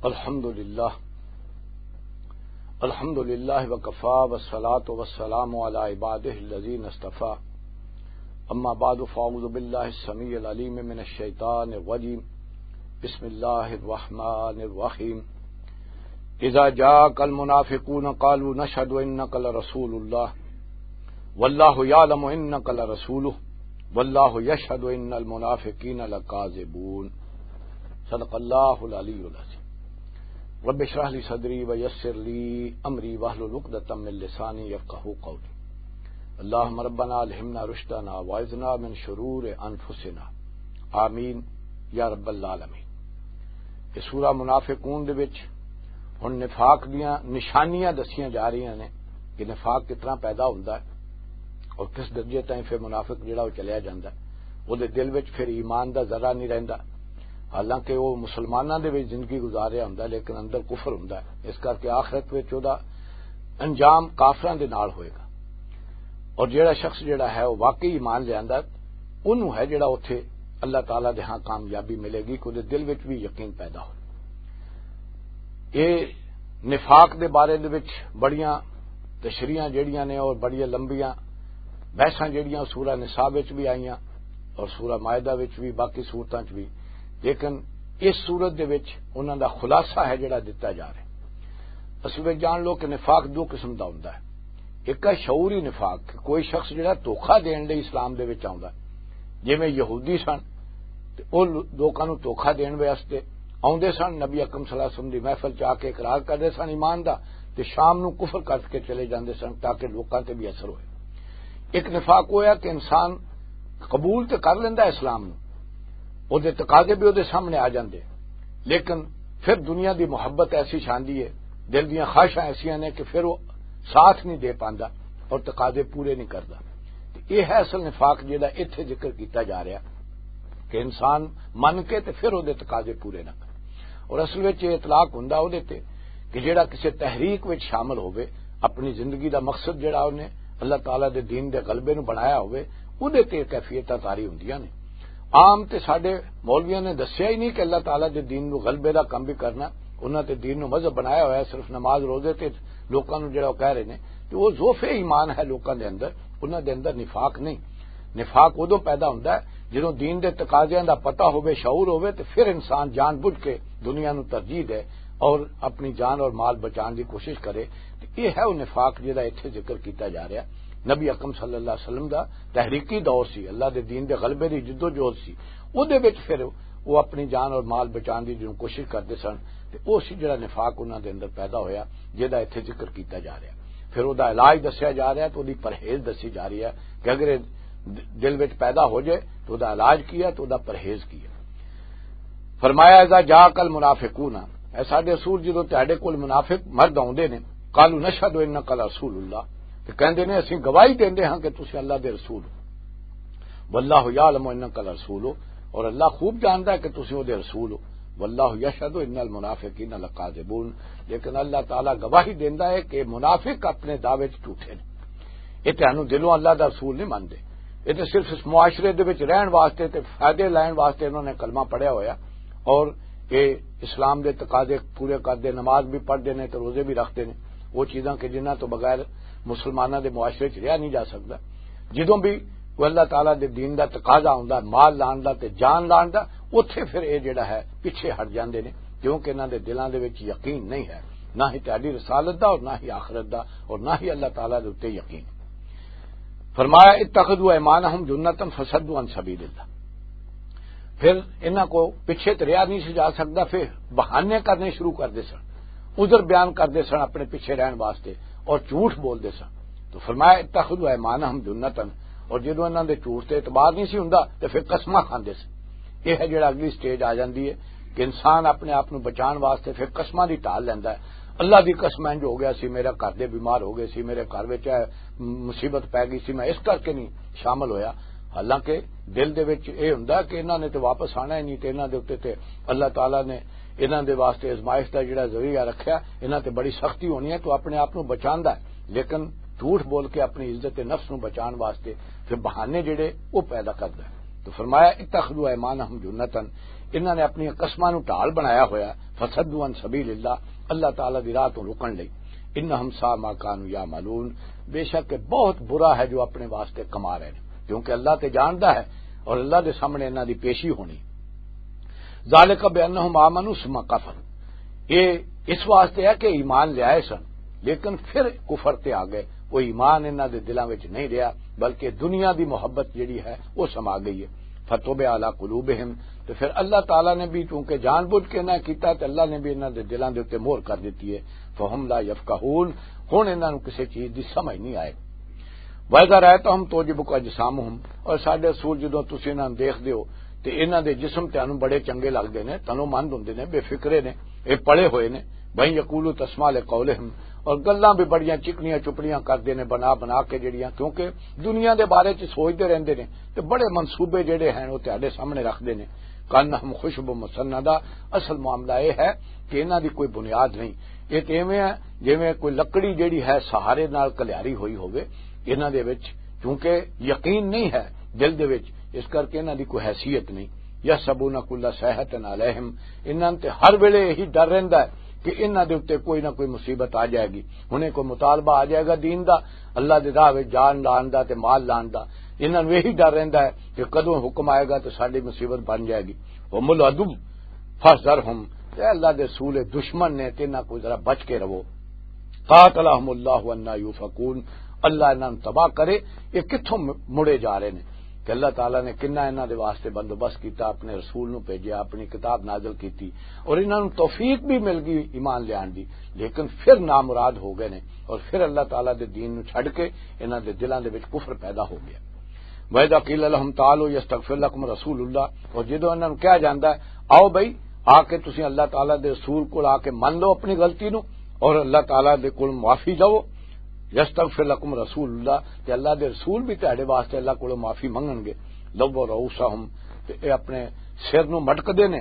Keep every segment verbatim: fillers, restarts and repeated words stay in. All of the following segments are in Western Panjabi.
الحمد لله. الحمد لله وكفى، والصلاة والسلام على عباده الذين اصطفى. أما بعد، فأعوذ بالله السميع العليم من الشيطان الرجيم. بسم الله الرحمن الرحيم. إذا جاءك المنافقون قالوا نشهد إنك لرسول الله والله يعلم إنك لرسوله والله يشهد إن المنافقين لكاذبون. صدق الله العلي العظيم. رب اشرح لي صدري ويسر لي أمري واحلل عقدة من لساني يفقهوا قولي. اللهم ربنا ألهمنا رشدنا وأعذنا من شرور أنفسنا. آمين يا رب العالمين. یہ سورہ منافقون دے وچ ہن نفاق دیاں نشانیاں دسیاں جا رہیاں نے کہ نفاق کتنا پیدا ہوندا ہے اور کس درجے تائیں پھر منافق جڑا وہ چلیا جاندا ہے۔ وہ دے دل وچ پھر ایمان دا ذرہ نہیں رہندا، حالانکہ وہ مسلماناں دے وچ زندگی گزار رہا ہوندا ہے، لیکن اندر کفر ہوندا ہے۔ اس کر کے آخرت وچ وہ دا انجام کافراں دے نال ہوئے گا۔ اور جڑا شخص جڑا ہے وہ واقعی ایمان لے آندا، اونوں ہے جڑا اوتھے اللہ تعالیٰ دے ہاں کامیابی ملے گی، کہ اوہدے دل وچ بھی یقین پیدا ہو۔ یہ نفاق دے بارے دے وچ بڑیاں تشریحاں جڑیاں نے اور بڑیاں لمبیاں بحثاں جڑیاں سورہ نساء وچ بھی آئیاں اور سورہ مائدہ وچ بھی، باقی سورتاں وچ بھی، لیکن اس سورت دے وچ انہاں دا خلاصہ ہے جڑا دتا جا رہا ہے۔ اصل وچ جان لو کہ نفاق دو قسم دا ہوندا ہے۔ ایک ہے شعوری نفاق، کہ کوئی شخص جڑا دھوکا دین لئی اسلام دے وچ آوندا ہے، جویں یہودی سن تے او لو-، لوکاں نوں دھوکا دین واسطے آوندے سن، نبی اکرم صلی اللہ علیہ وسلم دی محفل چ آ کے اقرار کردے سن ایمان دا، تے شام نوں کفر کر کے چلے جاندے سن تاکہ لوکاں تے بھی اثر ہوئے۔ ایک نفاق ہویا کہ انسان قبول تے کر لیندا اسلام نوں، او دے تقاضے بھی او دے سامنے آ جاندے، لیکن پھر دنیا دی محبت ایسی شاندی ہے، دل دیاں خواہشاں ایسیاں نے کہ پھر وہ ساتھ نہیں دے پاندا اور تقاضے پورے نہیں کردا۔ تے یہ ہے اصل نفاق جہدا اتھے ذکر کیتا جا رہا کہ انسان من کے تے پھر وہ دے تقاضے پورے نہ کرے۔ اور اصل وچ یہ اطلاق ہوندا وہ دے تے کہ جہڑا کسی تحریک وچ شامل ہووے، اپنی زندگی دا مقصد جہڑا انہیں اللہ تعالیٰ دے دین دے غلبے نو بنایا ہووے، وہ دے تے کیفیتاں طاری ہوندیاں نے۔ عام تے ساڈے مولویاں نے دسیا ہی نہیں کہ اللہ تعالیٰ دے دین نو غلبے دا کم بھی کرنا، انہاں تے دین نو مذہب بنایا ہویا ہے، صرف نماز روزے تے لوکاں نو جڑا وہ کہہ رہے نے، تے وہ ضعف ایمان ہے لوکاں دے اندر، انہاں دے اندر نفاق نہیں۔ نفاق ادوں پیدا ہوندا ہے جدوں دین دے تقاضیاں دا پتہ ہووے، شعور ہووے، تے پھر انسان جان بوجھ کے دنیا نو ترجیح دے اور اپنی جان اور مال بچان دی کوشش کرے۔ تے یہ ہے وہ نفاق جہدا اتھے ذکر کیتا جا رہا۔ نبی اکرم صلی اللہ علیہ وسلم دا تحریکی دور سی، اللہ دے دین دے غلبے دی جدوجہد سی، اودے وچ پھر وہ اپنی جان اور مال بچان دی جدوں کوشش کردے سن، تے او سی جڑا نفاق انہاں دے اندر پیدا ہویا، جہدا اتھے ذکر کیتا جا رہا۔ پھر او دا علاج دسیا جا رہا تے او دی پرہیز دسی جا رہی ہے کہ اگر یہ دل وچ پیدا ہو جائے تو او دا علاج کی ہے، تو او دا پرہیز کی ہے۔ فرمایا، "اذا جاءک المنافقون"، اے ساڈے رسول، جدوں تہاڈے کول منافق مرد آوندے نے، "قالوا نشهد انک لرسول اللہ"، تے کہندے نے، "اسیں گواہی دیندے ہاں کہ تسی اللہ دے رسول ہو۔ واللہ یعلم انک لرسول"، اور اللہ خوب جاندا ہے کہ تسی او دے رسول ہو۔ "واللہ یشهد ان المنافقین لکاذبون"، لیکن اللہ تعالیٰ گواہی دیندا ہے کہ منافق اپنے دعوے چ جھوٹے نے۔ یہ تہانوں دلوں اللہ دا رسول نہیں منتے۔ یہ تے صرف اس معاشرے دے وچ رہن واسطے تے فائدے لین واسطے انہوں نے کلمہ پڑھیا ہویا اور یہ اسلام دے تقاضے پورے کردے، نماز بھی پڑھدے نے تے روزے بھی رکھدے نے۔ وہ چیزاں کہ جنہاں تو بغیر مسلماناں دے معاشرے چ رہیا نہیں جا سکدا۔ جدوں بھی کوئی اللہ تعالیٰ دے دین دا تقاضا ہوندا، مال لان دا تے جان لان دا، اوتھے پھر یہ جڑا ہے پیچھے ہٹ جاندے نے، کیونکہ انہاں دے دلاں دے وچ یقین نہیں ہے، نہ ہی تہاڈی رسالت دا اور نہ ہی آخرت دا اور نہ ہی اللہ تعالیٰ دے اُتے یقین۔ فرمایا، "اتخذوا ایمانہم جنتاً فصدوا عن سبیل اللہ"۔ پھر انہاں کو پیچھے تے رہیا نہیں سی جا سکدا، پھر بہانے کرنے شروع کردے سن، عذر بیان کردے سن اپنے پیچھے رہن واسطے اور جھوٹ بولدے سن۔ تو فرمایا، "اتخذوا ایمانہم جنتاً"، اور جدوں انہاں دے جھوٹ تے اعتبار نہیں سی ہوندا تے پھر قسماں کھاندے سن۔ یہ ہے جڑا اگلی سٹیج آ جاندی ہے کہ انسان اپنے آپ نو بچان واسطے پھر قسماں دی ڈھال لیندا ہے۔ "اللہ دی قسم، انج ہو گیا سی، میرے گھر دے بیمار ہو گئے سی، میرے گھر وچ اے مصیبت پے گئی سی، میں اس کر کے نہیں شامل ہویا۔" حالانکہ دل دے وچ اے ہوندا کہ انہاں نے تے واپس آنا ہی نہیں، تے انہاں دے اُتے تے اللہ تعالیٰ نے انہاں دے واسطے آزمائش دا جڑا ذریعہ رکھیا، انہاں تے بڑی سختی ہونی ہے، تو اپنے آپ نو بچاندا ہے، لیکن جھوٹ بول کے اپنی عزت نفس نو بچان واسطے پھر بہانے جڑے وہ پیدا کردا ہے۔ تو فرمایا، "اتخذوا ایمانہم جنتاً"، انہاں نے اپنی قسماں نوں ڈھال بنایا ہویا، "فصدوا عن سبیل اللہ"، اللہ تعالیٰ دی راہ تو رکن لئی، "انہم ساء ما کانوا یعملون"، بے شک یہ بہت برا ہے جو اپنے واسطے کما رہے ہیں، کیونکہ اللہ تے جاندا ہے اور اللہ دے سامنے انہاں دی پیشی ہونی۔ "ذالک بانہم آمنوا ثم کفروا"، یہ اس واسطے ہے کہ ایمان لے آئے سن، لیکن پھر کفر تے آ گئے۔ وہ ایمان انہاں دے دلاں وچ نہیں رہیا، بلکہ دنیا دی محبت جڑی ہے، وہ سما گئی ہے۔ "فطبع علی قلوبہم"، تو پھر اللہ تعالیٰ نے بھی، چونکہ جان بوجھ کے انہاں کیتا، تے اللہ نے بھی انہاں دے دلاں دے اُتے مہر کر دتی ہے۔ "فہم لا یفقہون"، ہن انہاں نوں کسے چیز دی سمجھ نہیں آئے۔ "وَإِذَا رَأَيْتَهُمْ تُعْجِبُكَ أَجْسَامُهُمْ"، اور ساڈے رسول، جدوں تسی انہاں نوں دیکھدے ہو تے انہاں دے جسم تانوں بڑے چنگے لگدے نے، تنومند ہوندے نے، بے فکرے نے، اے پڑے ہوئے نے، "وَإِن يَقُولُوا تَسْمَعْ لِقَوْلِهِمْ"، اور گلاں بھی بڑیاں چکنیاں چپڑیاں کردے نے، بنا بنا کے جڑیاں، کیونکہ دنیا دے بارے چ سوچدے رہندے نے تے بڑے منصوبے جڑے ہیں، وہ تہاڈے سامنے رکھدے نے۔ "کأنہم خشب مسندہ"، اصل معاملہ یہ ہے کہ انہاں دی کوئی بنیاد نہیں۔ یہ تے ایویں ہے جویں کوئی لکڑی جڑی ہے، سہارے نال کلیاری ہوئی ہوے، انہاں دے وچ چونکہ یقین نہیں ہے دل دے وچ، اس کر کے انہاں دی کوئی حیثیت نہیں۔ "یحسبون کل صیحۃ علیہم"، انہاں تے ہر ویلے یہی ڈر رہندا ہے کہ انہاں دے اُتے کوئی نہ کوئی مصیبت آ جائے گی۔ ہنے کوئی مطالبہ آ جائے گا دین دا، اللہ دے راہ وچ جان لان دا تے مال لان دا، انہاں نوں یہی ڈر رہندا ہے کہ کدوں حکم آئے گا تے ساڈی مصیبت بن جائے گی۔ "ہم العدو فاحذرہم"، تے اللہ دے رسول دشمن نے، تے انہاں کو ذرا بچ کے رہو۔ "قاتلہم اللہ انا یؤفکون"، اللہ انہاں نوں تباہ کرے۔ یہ کتھوں م-، مڑے جا رہے نے؟ کہ اللہ تعالیٰ نے کنا انہاں دے واسطے بندوبست کیتا، اپنے رسول نوں بھیجیا، اپنی کتاب نازل کیتی، اور انہاں نوں توفیق بھی مل گئی ایمان لیان دی، لیکن پھر نامراد ہو گئے نے، اور پھر اللہ تعالیٰ دے دین نوں چھڈ کے انہاں دے دلاں دے وچ کفر پیدا ہو گیا۔ "وَإِذَا قِيلَ لَهُمْ تَعَالَوْا يَسْتَغْفِرْ لَكُمْ رَسُولُ اللَّهِ"، اور جدوں انہاں نوں کہا جاندا ہے، "آؤ بھائی، آ کے تسی اللہ تعالیٰ دے رسول کول آ کے من لو اپنی غلطی نوں اور اللہ تعالیٰ دے کول معافی چاہو، یستغفر لکم رسول اللہ"، تے اللہ دے رسول بھی تہاڈے واسطے اللہ کولوں معافی منگن گے، "لووا رؤوسہم"، تے اے اپنے سر نوں مٹک دے نے،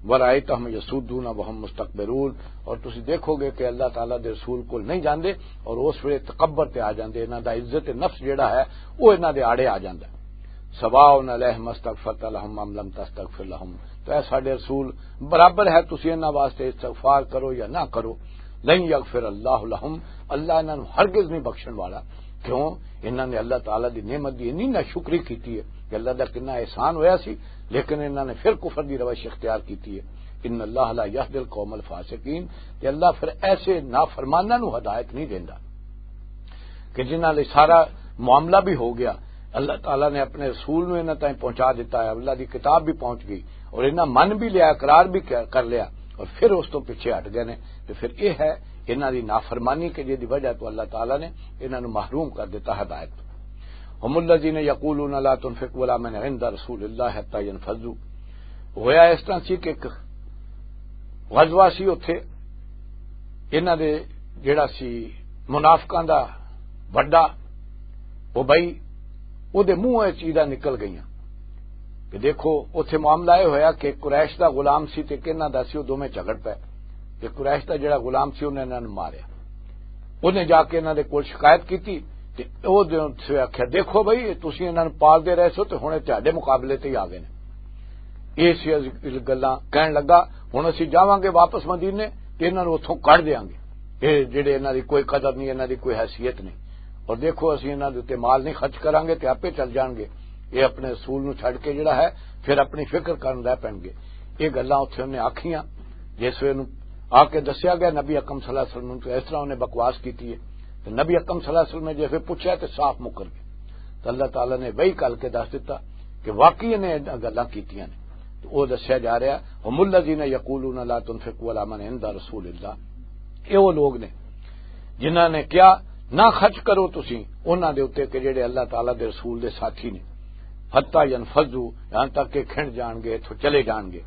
"ورائتہم یسودون وہم مستکبرون"، اور تسی دیکھو گے کہ اللہ تعالیٰ دے رسول کول نہیں جاندے اور اس ویلے تکبر تے آ جاندے، انہاں دا عزت نفس جڑا ہے، وہ انہاں دے آڑے آ جاندا ہے۔ "سواء علیہم استغفرت لہم ام لم تستغفر لہم"، تو اے ساڈے رسول، برابر ہے تسی انہاں واسطے استغفار کرو یا نہ کرو، "لن یغفر اللہ لہم"، اللہ انہاں نوں ہرگز نہیں بخشن والا۔ کیوں؟ انہاں نے اللہ تعالیٰ دی نعمت دی انی ناشکری کیتی ہے کہ اللہ دا کنا احسان ہویا سی، لیکن انہاں نے پھر کفر دی روش اختیار کیتی ہے۔ "ان اللہ لا یہدی القوم الفاسقین"، کہ اللہ پھر ایسے نافرماناں نوں ہدایت نہیں دیندا۔ کہ جنہاں لئی سارا معاملہ بھی ہو گیا، اللہ تعالیٰ نے اپنے رسول نوں انہاں تائیں پہنچا دیتا ہے، اللہ دی کتاب بھی پہنچ گئی اور انہاں من بھی لیا، اقرار بھی کر کر لیا، اور پھر اس تو پیچھے ہٹ گئے نے۔ تو پھر یہ ہے انہاں دی نافرمانی کہ جس دی وجہ تو اللہ تعالیٰ نے انہاں نوں محروم کر دیتا ہدایت تو۔ "ہم الذین یقولون لا تنفقوا علی من عند رسول اللہ حتی ینفضوا"، ہویا اس طرح سی کہ ایک غزوہ سی، اتھے انہاں دے جڑا سی منافقاں دا وڈا ابئی، او دے منہ وچ چیزاں نکل گئیاں۔ کہ دیکھو، اتھے معاملہ یہ ہویا کہ قریش دا غلام سی تے کہنا دا سی، او دوویں جھگڑ پے۔ تے قریش دا جڑا غلام سی، انہاں انہاں نوں ماریا۔ انہیں جا کے انہاں دے کول شکایت کیتی، تے او دے آکھیا، "دیکھو بھائی، تسی انہاں نوں پالدے رہے سو تے ہن اے تہاڈے مقابلے تے ہی آ گئے نے۔" اے سی گلاں کہن لگا، "ہن اسی جاواں گے واپس مدینے تے انہاں نوں اتھوں کڈ دیاں گے۔ اے جڑے انہاں دی کوئی قدر نہیں، انہاں دی کوئی حیثیت نہیں۔ اور دیکھو، اسی انہاں دے اُتے مال نہیں خرچ کراں گے تے آپے چل جان گے۔ اے اپنے رسول نوں چھڈ کے جڑا ہے، پھر اپنی فکر کرن لے پین گے۔" اے گلاں اتھے انہیں آکھیاں۔ جس ویلے نوں آ کے دسیا گیا نبی اکرم صلی اللہ علیہ وسلم نوں، تو اس طرح انہیں بکواس کیتی ہے۔ تو نبی اکرم صلی اللہ علیہ وسلم نے جس ویلے پوچھا تو صاف مکر گئے۔ تو اللہ تعالیٰ نے وحی کر کے دس دیتا کہ واقعی انہیں انہاں گلاں کیتیاں نے۔ تو وہ دسیا جا رہا، "ہم الذین یقولون لا تنفقوا علی من عند رسول اللہ"، یہ وہ لوگ نے جنہاں نے کہا، "نہ خرچ کرو تسی انہاں دے اُتے کہ جڑے اللہ تعالیٰ دے رسول دے ساتھی نے۔" حتی ینفذوا، یہاں تک کہ کھنڈ جان گے، اتھوں چلے جان گے۔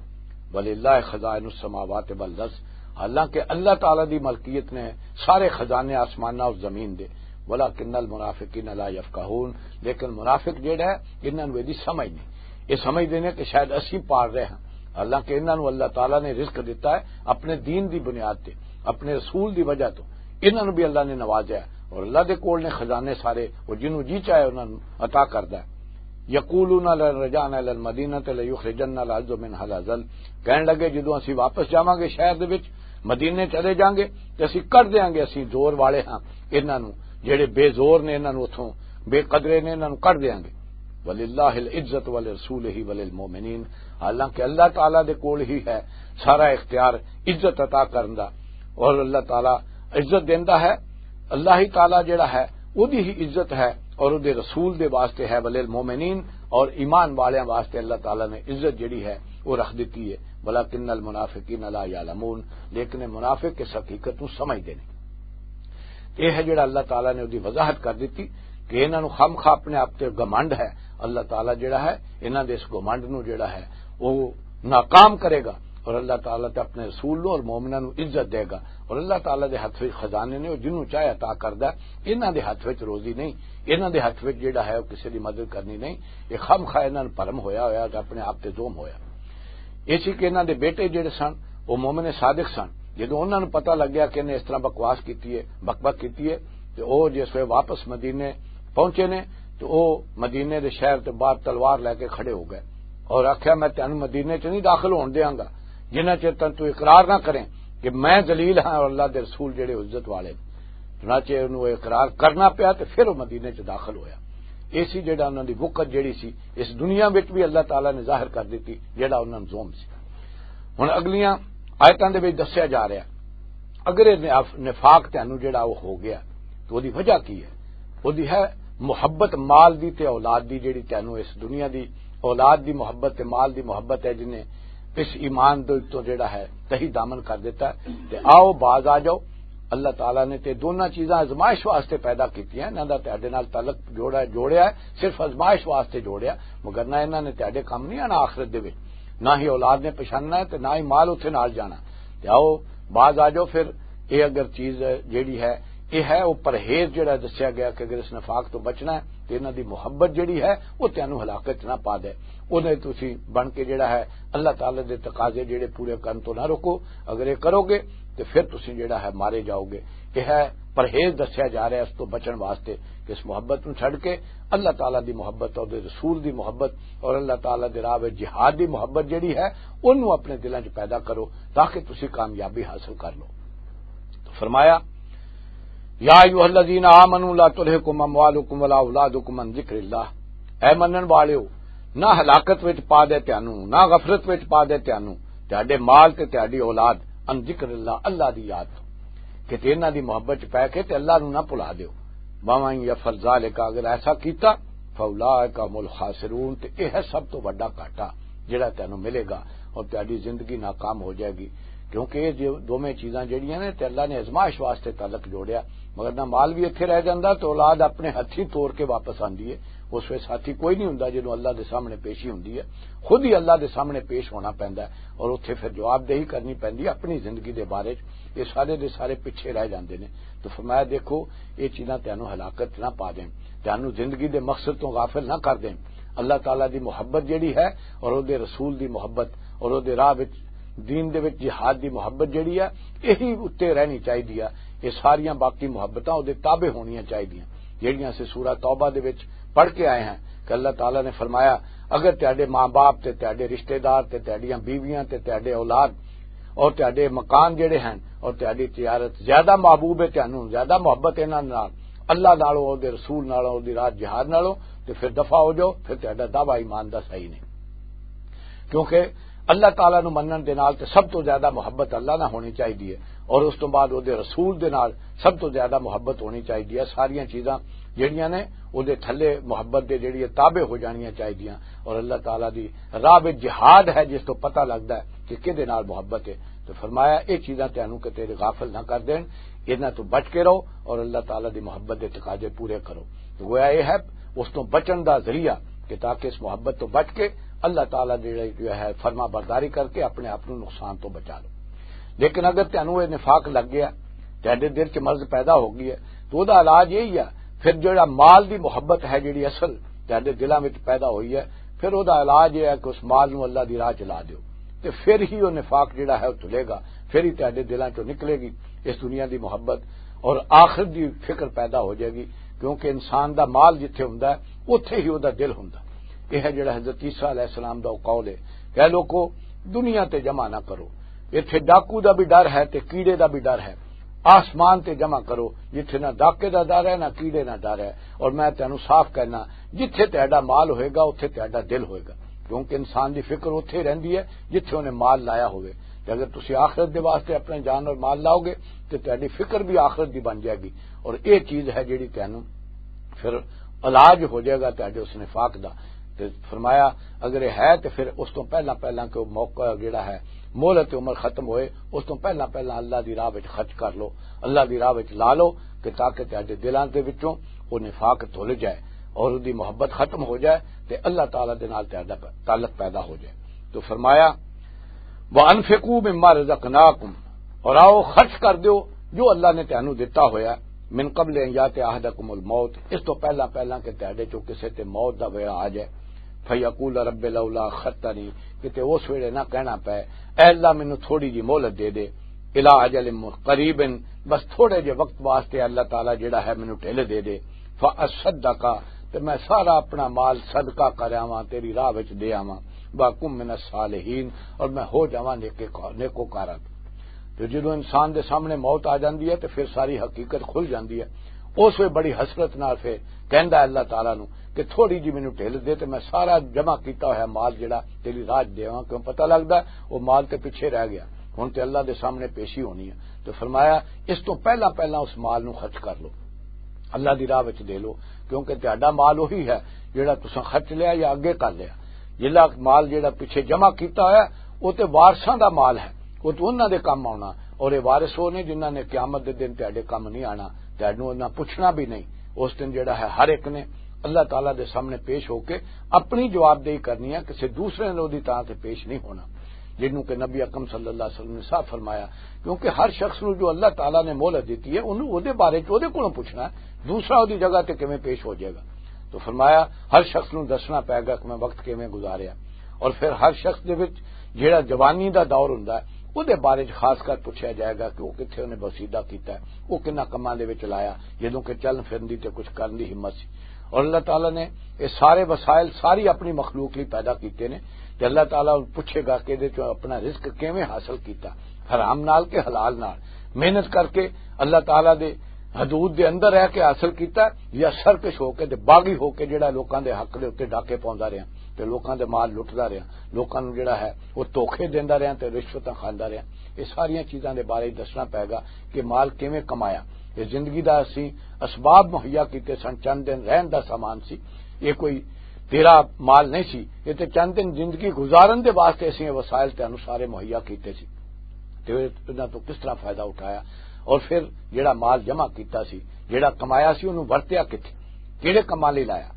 وللہ خزائن السماوات والارض، حالانکہ اللہ تعالیٰ دی ملکیت نے سارے خزانے آسماناں اور زمین دے۔ ولکن المنافقین لا یفقہون، لیکن منافق جڑا ہے، انہاں نوں ایہدی سمجھ نہیں۔ یہ سمجھدے نے کہ شاید اسی پار رہے ہاں، حالانکہ انہاں نوں اللہ تعالیٰ نے رزق دتا ہے اپنے دین دی بنیاد تے، اپنے رسول دی وجہ تو۔ انہاں نوں بھی اللہ نے نوازیا ہے اور اللہ دے کول نے خزانے سارے، وہ جنوں جی چاہے انہاں نوں عطا کردا ہے۔ یقولون لن رجعنا الی المدینہ لیخرجن العز منها الاذل۔ کہن لگے، جدوں اسی واپس جاواں گے شہر دے وچ، مدینے چلے جاؤں گے، تے اسی کر دیاں گے، اسی زور والے ہاں انہاں نوں، جڑے بے زور نے انہاں نوں اتھوں، بے قدرے نے انہاں نوں کر دیاں گے۔ وللہ العزت ولرسولہ وللمؤمنین۔ حالانکہ اللہ تعالیٰ دے کول ہی ہے سارا اختیار عزت عطا کرن دا، اور اللہ تعالیٰ عزت دیندا ہے۔ اللہ ہی تعالیٰ جڑا ہے، اودی ہی عزت ہے اور اودے رسول دے واسطے ہے، وللمؤمنین، اور ایمان والیاں واسطے اللہ تعالیٰ نے عزت جڑی ہے، وہ رکھ دتی ہے۔ ولکن المنافقین لا یعلمون، لیکن یہ منافق اس حقیقت نوں سمجھدے نے۔ یہ ہے جڑا اللہ تعالیٰ نے اودی وضاحت کر دتی کہ انہاں نوں خامخواہ اپنے آپ تے گھمنڈ ہے۔ اللہ تعالیٰ جڑا ہے، انہاں دے اس گھمنڈ نوں جڑا ہے، وہ ناکام کرے گا، اور اللہ تعالیٰ تے اپنے رسول نوں اور مومناں نوں عزت دے گا۔ اور اللہ تعالیٰ دے ہتھ وچ خزانے نے، وہ جنوں چاہے عطا کردا ہے۔ انہاں دے ہتھ وچ روزی نہیں، انہاں دے ہتھ وچ جڑا ہے، وہ کسے دی مدد کرنی نہیں۔ یہ خامخواہ انہاں نوں بھرم ہویا ہویا تے اپنے آپ تے ظلم ہویا۔ یہ سی کہ انہاں دے بیٹے جڑے سن، وہ مومن صادق سن۔ جدوں انہاں نوں پتہ لگیا کہ انہیں اس طرح بکواس کیتی ہے، بک بک کیتی ہے، تے او جس ویلے واپس مدینے پہنچے نے، تے او مدینے دے شہر تے باہر تلوار لے کے کھڑے ہو گئے اور آکھیا، "میں تینوں مدینے چ نہیں داخل ہون دیاں گا، جنہ چر تک تو اقرار نہ کریں کہ میں ذلیل ہاں اور اللہ دے رسول جڑے عزت والے نے۔" چنانچہ انہوں اقرار کرنا پیا تے پھر وہ مدینے چ داخل ہویا۔ ایسی جڑا انہاں دی وقت جڑی سی، اس دنیا وچ بھی اللہ تعالیٰ نے ظاہر کر دتی جڑا انہاں نوں ظلم سی۔ ہن اگلیاں آیتاں دے وچ دسیا جا رہا، اگر یہ نف-، نفاق تینوں جڑا وہ ہو گیا، تو دی وجہ کی ہے؟ وہ دی ہے محبت مال دی تے اولاد دی، جڑی تینوں اس دنیا دی اولاد دی محبت تے مال دی محبت ہے، جنہیں اس ایمان دے تو جڑا ہے تہی دامن کر دیتا ہے۔ تے آؤ، باز آ جاؤ۔ اللہ تعالیٰ نے تے دونوں چیزاں آزمائش واسطے پیدا کیتیاں، انہاں دا تہاڈے نال تعلق جوڑا، جوڑیا ہے، صرف آزمائش واسطے جوڑیا، مگر نہ انہاں نے تہاڈے کم نہیں آنا آخرت دے وچ، نہ ہی اولاد نے پچھاننا ہے تے نہ ہی مال اتھے نال جانا۔ تے آؤ، باز آ جاؤ پھر۔ یہ اگر چیز جیڑی ہے، یہ ہے وہ پرہیز جیڑا دسیا گیا کہ اگر اس نفاق تو بچنا ہے تے انہاں دی محبت جیڑی ہے، وہ تینوں ہلاکت نہ پا دے۔ انہیں تسی بن کے جیڑا ہے، اللہ تعالیٰ دے تقاضے جیڑے پورے کرن تو نہ رکو۔ اگر یہ کرو گے تے پھر تسی جیڑا ہے مارے جاؤ گے۔ یہ ہے پرہیز دسیا جا رہا ہے اس تو بچن واسطے، کہ اس محبت نوں چھڈ کے اللہ تعالیٰ دی محبت اور دے رسول دی محبت اور اللہ تعالیٰ دے راہ وچ جہاد دی محبت جیڑی ہے، انہوں اپنے دلاں 'چ پیدا کرو، تاکہ تسی کامیابی حاصل کر لو۔ تو فرمایا، "یا ایھا الذین آمنوا لا تلھکم اموالکم ولا اولادکم عن ذکر اللہ۔" اے منن والیو، نہ ہلاکت وچ پا دے تانوں، نہ غفلت وچ پا دے تانوں، تہاڈے مال تے تہاڈی اولاد، عن ذکر اللہ، اللہ دی یاد تو، کہ تے انہاں دی محبت چ پے کے تے اللہ نوں نہ بھلا دیو۔ ومن یفعل ذلک، اگر ایسا کیتا، فاولئک هم الخاسرون، تے یہ ہے سب تو وڈا گھاٹا جڑا تینوں ملے گا، اور تہاڈی زندگی ناکام ہو جائے گی۔ کیونکہ یہ جو دوویں چیزاں جڑیاں نے، تے اللہ نے آزمائش واسطے تعلق جوڑیا، مگر نہ مال بھی اتھے رہ جاندا تے اولاد اپنے ہتھی توڑ کے واپس آندی ہے۔ اس ویلے ساتھی کوئی نہیں ہوندا جدوں اللہ دے سامنے پیشی ہوندی ہے، خود ہی اللہ دے سامنے پیش ہونا پیندا ہے اور اتھے پھر جواب دہی کرنی پیندی ہے اپنی زندگی دے بارے چ۔ یہ سارے دے سارے پیچھے رہ جاندے نے۔ تو فرمایا، دیکھو، یہ چیزاں تینوں ہلاکت نہ پا دین، تینوں زندگی دے مقصد تو غافل نہ کر دین۔ اللہ تعالیٰ دی محبت جڑی ہے اور او دے رسول دی محبت اور او دے راہ وچ، دین دے وچ جہاد دی محبت جڑی ہے، یہی اُتے رہنی چاہیدی ہے۔ یہ ساریاں باقی محبتاں او دے تابع ہونیاں چاہیدیاں، جڑیاں سے سورہ توبہ دے وچ پڑھ کے آئے ہیں کہ اللہ تعالیٰ نے فرمایا، اگر تہاڈے ماں باپ تے تہاڈے رشتہ دار تے تہاڈیاں بیویاں تے تہاڈے اولاد اور تہاڈے مکان جڑے ہیں اور تہاڈی تجارت زیادہ محبوب ہے تانوں، زیادہ محبت انہاں نال، اللہ نالوں، او دے رسول نالوں، او دی راہ جہاد نالوں، تے پھر دفع ہو جاؤ، پھر تہاڈا دعویٰ ایمان دا صحیح نہیں۔ کیونکہ اللہ تعالیٰ نو منن دے نال تے سب تو زیادہ محبت اللہ نہ ہونی چاہیدی ہے، اور اس تو بعد او دے رسول دے نال سب تو زیادہ محبت ہونی چاہیدی ہے۔ ساریاں چیزاں جڑیاں نے، او دے تھلے محبت دے جڑی ہے تابع ہو جانیاں چاہیدیاں، اور اللہ تعالیٰ دی راہ وچ جہاد ہے جس تو پتہ لگدا ہے کہ کدے نال محبت ہے۔ تو فرمایا، اے چیزاں تانوں کتے غافل نہ کر دین، انہاں تو بچ کے رہو اور اللہ تعالیٰ دی محبت دے تقاضے پورے کرو۔ تو گویا اے ہے اس تو بچن دا ذریعہ کہ تاکہ اس محبت تو بچ کے اللہ تعالیٰ دی جو ہے فرما برداری کر کے اپنے آپ نو نقصان تو بچا لو۔ لیکن اگر تانوں اے نفاق لگ گیا، تہاڈے دل چ مرض پیدا ہو گئی ہے، تو او دا علاج یہی ہے۔ پھر جڑا مال دی محبت ہے، جڑی اصل تہاڈے دلاں وچ پیدا ہوئی ہے، پھر او دا علاج یہ ہے کہ اس مال نو اللہ دی راہ چ لا دیو، تے پھر ہی او نفاق جڑا ہے او دھلے گا، پھر ہی تہاڈے دلاں چوں نکلے گی اس دنیا دی محبت اور آخرت دی فکر پیدا ہو جائے گی۔ کیونکہ انسان دا مال جتھے ہوندا ہے، اتھے ہی او دا دل ہوندا ہے۔ یہ ہے جڑا حضرت عیسیٰ علیہ السلام دا قول ہے کہ اے لوکو، دنیا تے جمع نہ کرو۔ ایتھے ڈاکو دا بھی ڈر ہے تے کیڑے دا بھی ڈر ہے۔ آسمان تے جمع کرو، جتھے نہ ڈاکے دا ڈر ہے، نہ کیڑے دا ڈر ہے۔ اور میں تینوں صاف کہنا، جتھے تہاڈا مال ہوئے گا، اتھے تہاڈا دل ہوئے گا، کیونکہ انسان دی فکر اتھے رہندی ہے جتھے انہیں مال لایا ہوئے۔ تے اگر تسی آخرت دے واسطے اپنے جان اور مال لاؤ گے، تے تہاڈی فکر بھی آخرت دی بن جائے گی۔ اور یہ چیز ہے جڑی تینوں پھر علاج ہو جائے گا تہاڈے اس نفاق دا۔ تے فرمایا، اگر یہ ہے تے پھر اس تو پہلا پہلا کہ وہ موقع جڑا ہے، مہلت عمر ختم ہوئے، اس تو پہلا پہلا اللہ دی راہ وچ خرچ کر لو، اللہ دی راہ وچ لا لو، کہ تاکہ تہاڈے دلاں دے وچوں وہ نفاق دھل جائے اور اس دی محبت ختم ہو جائے، تے اللہ تعالیٰ دے نال تہاڈا پ-، تعلق پیدا ہو جائے۔ تو فرمایا، وَأَنفِقُوا مِمَّا رَزَقْنَاكُمْ، اور آؤ خرچ کر دیو جو اللہ نے تینوں دتا ہویا، مِن قَبْلِ أَن يَأْتِيَ أَحَدَكُمُ الْمَوْتُ، اس تو پہلا پہلا کہ تہاڈے چوں کسے تے موت دا ویلا آ جائے، فَيَقُولَ رَبِّ لَوْلَا أَخَّرْتَنِي، کہ تے اس ویلے نہ کہنا پے، اے اللہ مینوں تھوڑی جی مہلت دے دے، إِلَىٰ أَجَلٍ قَرِيبٍ، بس تھوڑے جے وقت واسطے اللہ تعالیٰ جڑا ہے مینوں ڈھل دے دے، فَأَصَّدَّقَ، تے میں سارا اپنا مال صدقہ کر آواں، تیری راہ وچ دے آواں، وَأَكُن مِّنَ الصَّالِحِينَ، اور میں ہو جاواں نیکے کا-، نیکوکاراں۔ تو جدوں انسان دے سامنے موت آ جاندی ہے تے پھر ساری حقیقت کھل جاندی ہے۔ اس وے بڑی حسرت نال پھر کہندا ہے اللہ تعالیٰ نو کہ تھوڑی جی مینوں ڈھل دے تے میں سارا جمع کیتا ہویا مال جڑا تیری راہ چ دیواں، کیوں پتہ لگدا ہے وہ مال تے پیچھے رہ گیا، ہن تے اللہ دے سامنے پیشی ہونی ہے۔ تو فرمایا، اس تو پہلا پہلا اس مال نو خرچ کر لو، اللہ دی راہ وچ دے لو، کیونکہ تہاڈا مال وہی ہے جڑا تساں خرچ لیا یا اگے کر لیا۔ جلا مال جڑا پیچھے جمع کیتا ہویا، وہ تے وارثاں دا مال ہے، وہ تے انہاں دے کم آنا۔ اور یہ وارث وہ نے جنہاں نے قیامت دے دن تہاڈے کم نہیں آنا، تہاڈوں انہاں پوچھنا بھی نہیں۔ اس دن جڑا ہے ہر ایک نے اللہ تعالیٰ دے سامنے پیش ہو کے اپنی جوابدہی کرنی ہے، کسی دوسرے نے وہدی تاں تے پیش نہیں ہونا، جنوں کہ نبی اکرم صلی اللہ علیہ وسلم نے صاف فرمایا۔ کیونکہ ہر شخص نوں جو اللہ تعالیٰ نے مہلت دتی ہے، انہوں وہدے بارے چ وہدے کولوں پوچھنا ہے، دوسرا وہدی جگہ تے کیویں پیش ہو جائے گا۔ تو فرمایا، ہر شخص نوں دسنا پائے گا کہ میں وقت کیویں گزاریا۔ اور پھر ہر شخص دے وچ جڑا جوانی دا دور ہوندا ہے، اودے بارے چ خاص کر پوچھیا جائے گا کہ وہ کتھے انہیں بسیدہ کیتا ہے، وہ کنا کماں دے وچ لایا، جدوں کہ چلن پھرن دی تے کچھ کرن دی ہمت سی۔ اور اللہ تعالیٰ نے یہ سارے وسائل ساری اپنی مخلوق لئی پیدا کیتے نے، تے اللہ تعالیٰ پوچھے گا کہ ادے چوں اپنا رزق کیویں حاصل کیتا، حرام نال کہ حلال نال؟ محنت کر کے اللہ تعالیٰ دے حدود دے اندر رہ کے حاصل کیتا، یا سرکش ہو کے تے باغی ہو کے جڑا لوکاں دے حق دے اوتے ڈاکے پاوندا رہیا تے لوکاں دے مال لٹدا رہیا، لوکاں نوں جڑا ہے وہ دھوکے دیندا رہیا تے رشوتاں کھاندا رہیا۔ یہ ساریاں چیزاں دے بارے دسنا پائے گا کہ مال کیویں کمایا۔ یہ زندگی دا اسی اسباب مہیا کیتے سن، چند دن رہن دا سامان سی، یہ کوئی تیرا مال نہیں سی، یہ تے چند دن زندگی گزارن دے واسطے اسی یہ وسائل تینوں سارے مہیا کیتے سی۔ تے انہاں تو کس طرح فائدہ اٹھایا، اور پھر جڑا مال جمع کیتا سی، جڑا کمایا سی، انہوں ورتیا کتھے، کیڑے کماں لئی لایا؟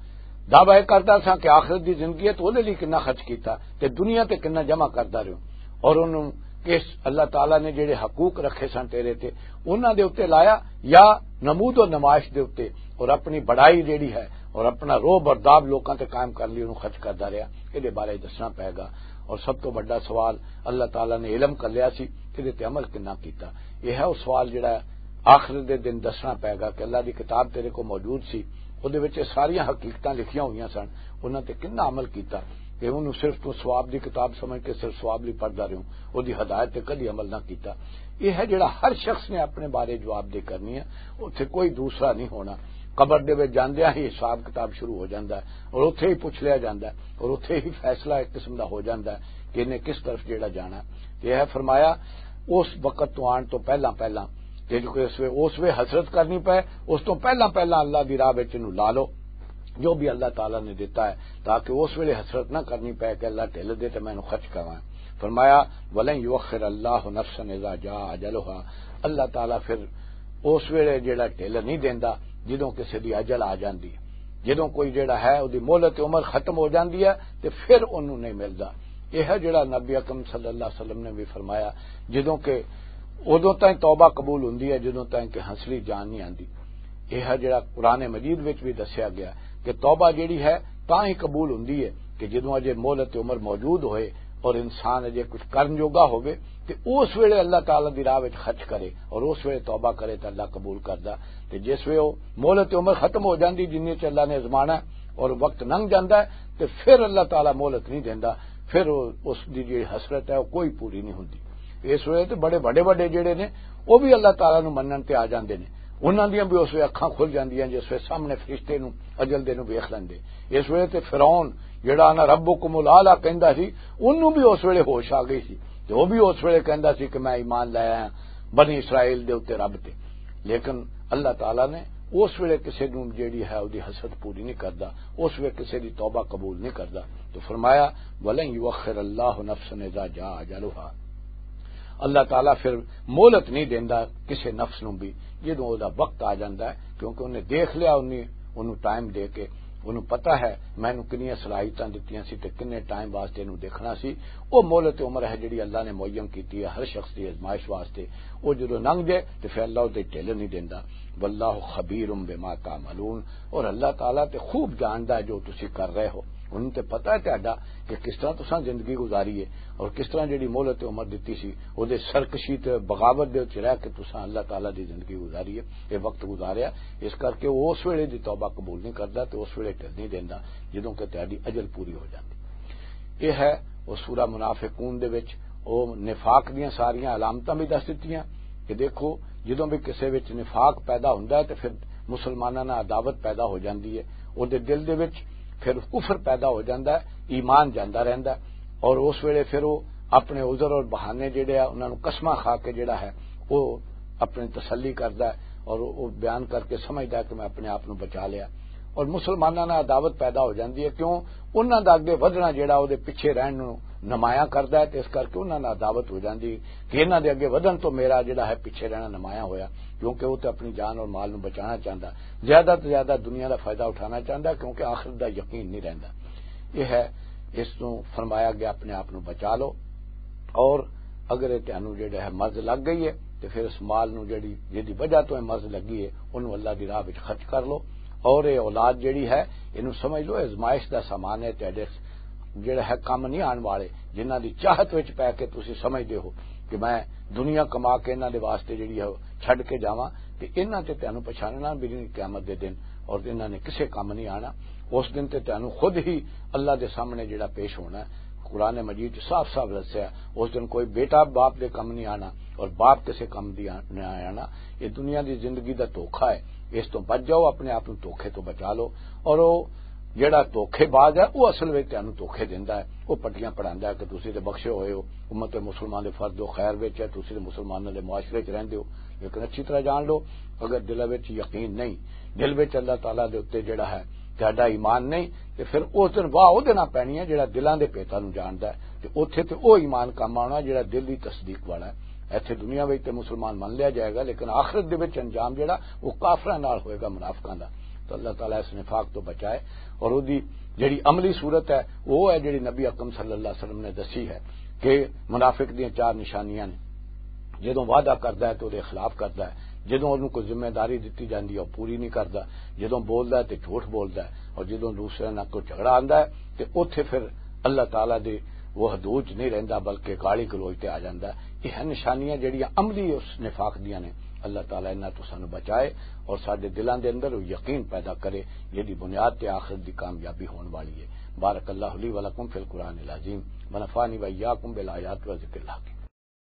دعویٰ یہ کردا سا کہ آخرت دی زندگی ہے تو اودے لئی کنا خرچ کیتا تے دنیا تے کنا جمع کردا رہیو، اور انہوں کس اللہ تعالیٰ نے جڑے حقوق رکھے سن تیرے تے، انہاں دے اُتے لایا یا نمود و نمائش دے اُتے، اور اپنی بڑائی جڑی ہے اور اپنا روب اور داب لوکاں تے قائم کر لئی انہوں خرچ کردا رہیا؟ اے دے بارے دسنا پائے گا۔ اور سب تو بڑا سوال، اللہ تعالیٰ نے علم کر لیا سی، اے دے تے عمل کنا کیتا؟ یہ ہے وہ سوال جڑا آخر دے دن دسنا پائے گا کہ اللہ دی کتاب تیرے کو موجود سی، اودے وچ یہ ساریاں حقیقتاں لکھیاں ہوئیاں سن، انہاں تے کنا عمل کیتا؟ کہ انہوں صرف تو ثواب دی کتاب سمجھ کے صرف ثواب لئی پڑھدا رہیوں، اودی ہدایت تے کدی عمل نہ کیتا؟ یہ ہے جڑا ہر شخص نے اپنے بارے جواب دہ کرنی ہے، اتھے کوئی دوسرا نہیں ہونا۔ قبر دے وچ جاندیاں ہی حساب کتاب شروع ہو جاندا ہے اور اتھے ہی پوچھ لیا جاندا ہے اور اتھے ہی فیصلہ ایک قسم دا ہو جاندا ہے کہ انہیں کس طرف جڑا جانا ہے۔ تے یہ فرمایا، اس وقت تو آن تو پہلا پہلا، تے جو کہ اس وے، اس وے حسرت کرنی پے، اس تو پہلا پہلا اللہ دی راہ وچ انہوں لا لو، جو بھی اللہ تعالیٰ نے دیتا ہے، تاکہ اس ویلے حسرت نہ کرنی پے کہ اللہ ڈھل دے تے میں انہوں خرچ کرواں۔ فرمایا، "ولن یؤخر اللہ نفسا اذا جاء اجلها۔" اللہ تعالیٰ پھر اس ویلے جڑا ڈھل نہیں دیندا جدوں کسے دی اجل آ جاندی ہے۔ جدوں کوئی جڑا ہے، اودی مہلت عمر ختم ہو جاندی ہے، تے پھر انہوں نہیں ملدا۔ یہ ہے جڑا نبی اکرم صلی اللہ علیہ وسلم نے بھی فرمایا، جدوں کہ ادوں تائیں توبہ قبول ہوندی ہے جدوں تائیں کہ ہنسلی جان نہیں آندی۔ یہ ہے جڑا قرآن مجید وچ بھی دسیا گیا کہ توبہ جڑی ہے تاں ہی قبول ہوندی ہے کہ جدوں اجے مہلت عمر موجود ہوئے اور انسان اجے کچھ کرن جوگا ہوئے، تے اس ویلے اللہ تعالیٰ دی راہ وچ خرچ کرے اور اس ویلے توبہ کرے تے اللہ قبول کردا۔ تے جس ویلے وہ مہلت عمر ختم ہو جاندی، جنہیں چ اللہ نے ازمانا ہے، اور وقت لنگ جاندا ہے، تے پھر اللہ تعالیٰ مہلت نہیں دیندا، پھر او، اس دی جڑی حسرت ہے، او کوئی پوری نہیں ہوندی۔ اس ویلے تے بڑے وڈے وڈے جڑے نے، او بھی اللہ تعالیٰ نو منن تے آ جاندے نے۔ انہاں دیاں بھی اس ویلے اکھاں کھل جاندیاں، جس ویلے سامنے فرشتے نو، اجل دے نو ویکھ لیندے۔ اس ویلے تے فرعون، جڑا "انا ربکم الاعلی" کہندا سی، اونوں بھی اس ویلے ہوش آ گئی سی، تے او بھی اس ویلے کہندا سی کہ "میں ایمان لایا ہاں بنی اسرائیل دے اُتے، رب تے۔" لیکن اللہ تعالیٰ نے اس ویلے کسے نوں جیڑی ہے، اودی حسد پوری نہیں کردا، اس ویلے کسے دی توبہ قبول نہیں کردا۔ تو فرمایا، "ولن یؤخر اللہ نفسا اذا جاء اجلها۔" اللہ تعالیٰ پھر مہلت نہیں دیندا کسے نفس نوں بھی، جدوں او دا وقت آ جاندا ہے، کیونکہ انہیں دیکھ لیا، انہیں، انہوں ٹائم دے کے، انہوں پتہ ہے میں انہوں کنیاں صلاحیتاں دتیاں سی تے کنے ٹائم واسطے انہوں دیکھنا سی۔ او مہلت عمر ہے جڑی اللہ نے معین کیتی ہے ہر شخص دی آزمائش واسطے۔ او جدوں لنگ جائے تے پھر اللہ او تے ڈھل نہیں دیندا۔ "واللہ خبیر بما تعملون۔" اور اللہ تعالیٰ تے خوب جاندا ہے جو تسی کر رہے ہو۔ انہوں تے پتہ ہے تہاڈا کہ کس طرح تساں زندگی گزاری ہے اور کس طرح جڑی مہلت عمر دتی سی، او دے سرکشی تے بغاوت دے وچ رہ کے تساں اللہ تعالیٰ دی زندگی گزاری ہے، یہ وقت گزاریا۔ اس کر کے او اس ویلے دی توبہ قبول نہیں کردا تے اس ویلے ڈھل نہیں دیندا، جدوں کہ تہاڈی اجل پوری ہو جاندی۔ یہ ہے او سورہ منافقون دے وچ او نفاق دیاں ساریاں علامتاں بھی دس دتیاں کہ دیکھو، جدوں بھی کسے وچ نفاق پیدا ہوندا ہے تے پھر مسلماناں نال عداوت پیدا ہو جاندی ہے، او دے دل دے وچ پھر کفر پیدا ہو جاندا ہے، ایمان جاندا رہندا ہے، اور اس ویلے پھر او اپنے عذر اور بہانے جڑے آ، انہاں نوں قسماں کھا کے جڑا ہے، او اپنی تسلی کردا ہے اور او بیان کر کے سمجھدا ہے کہ میں اپنے آپ نوں بچا لیا۔ اور مسلماناں نال عداوت پیدا ہو جاندی ہے، کیوں؟ انہاں دا اگے ودھنا جڑا او دے پیچھے رہن نوں نمایاں کردا ہے، تے اس کر کے انہاں نال عداوت ہو جاندی ہے کہ انہاں دے اگے ودھن تو میرا جڑا ہے پیچھے رہنا نمایاں ہویا، کیونکہ او تے اپنی جان اور مال نوں بچانا چاہندا، زیادہ تو زیادہ دنیا دا فائدہ اٹھانا چاہندا، کیونکہ آخرت دا یقین نہیں رہندا۔ یہ ہے، اس نوں فرمایا گیا اپنے آپ نوں بچا لو۔ اور اگر یہ تانوں جڑا ہے مرض لگ گئی ہے، تے پھر اس مال نوں جڑی، جدی وجہ تو یہ مرض لگی ہے، انہوں اللہ دی راہ وچ خرچ کر لو۔ اور یہ اولاد جڑی ہے، انہوں سمجھ لو، آزمائش دا سامان ہے، تیرے جڑا ہے کم نہیں آن والے، جنہاں دی چاہت وچ پے کے تسی سمجھدے ہو کہ میں دنیا کما کے انہاں دے واسطے جڑی ہے چھڈ کے جاواں، تے انہاں تے تانوں پچھاننا بھی نہیں قیامت دے دن، اور انہاں نے کسے کم نہیں آنا۔ اس دن تے تانوں خود ہی اللہ دے سامنے جڑا پیش ہونا ہے۔ قرآن مجید چ صاف صاف دسیا، اس دن کوئی بیٹا باپ دے کم نہیں آنا اور باپ کسے کم دی آ-، نہیں آنا۔ یہ دنیا دی زندگی دا دھوکھا ہے، اس تو بچ جاؤ، اپنے آپ نوں دھوکھے تو بچا لو۔ اور وہ جڑا دھوکھے باز ہے، وہ اصل وچ تانوں دھوکھے دیندا ہے، وہ پٹیاں پڑھاندا ہے کہ تسی تے بخشے ہوئے ہو، امت مسلمان دے فرد و خیر وچ ہے، تسی تے مسلماناں دے معاشرے وچ رہندے ہو۔ لیکن اچھی طرح جان لو، اگر دل وچ یقین نہیں، دل وچ اللہ تعالیٰ دے اُتے جڑا ہے تہاڈا ایمان نہیں، تے پھر اس دن واہ او دینا پینی ہے جڑا دلاں دے پیتاں نوں جاندا ہے، تے اوتھے تے او ایمان کم آنا جڑا دل دی تصدیق والا ہے۔ ایتھے دنیا وچ تے مسلمان من لیا جائے گا، لیکن آخرت دے وچ انجام جڑا، وہ کافراں نال ہوئے گا، منافقاں دا۔ تو اللہ تعالیٰ اس نفاق تو بچائے، اور اودی جڑی عملی صورت ہے، وہ ہے جڑی نبی اکرم صلی اللہ علیہ وسلم نے دسی ہے کہ منافق دیاں چار نشانیاں نے۔ جدوں وعدہ کردا ہے تے اودے خلاف کردا ہے، جدوں اونوں کوئی ذمہ داری دتی جاندی ہے، او پوری نہیں کردا، جدوں بولدا ہے تے جھوٹ بولدا ہے، اور جدوں دوسرے نال کوئی جھگڑا آندا ہے تے اوتھے پھر اللہ تعالیٰ دے وہ حدود چ نہیں رہندا، بلکہ گالی گلوچ تے آ جاندا ہے۔ یہ ہیں نشانیاں جڑیاں عملی اس نفاق دیاں نے۔ اللہ تعالیٰ انہاں تو سانو بچائے اور ساڈے دلاں دے اندر وہ یقین پیدا کرے، جہدی بنیاد تے آخرت دی کامیابی ہون والی ہے۔ بارک اللہ لی و لکم فی القرآن العظیم، ونفعنی و ایاکم بالآیات و ذکر الحکیم۔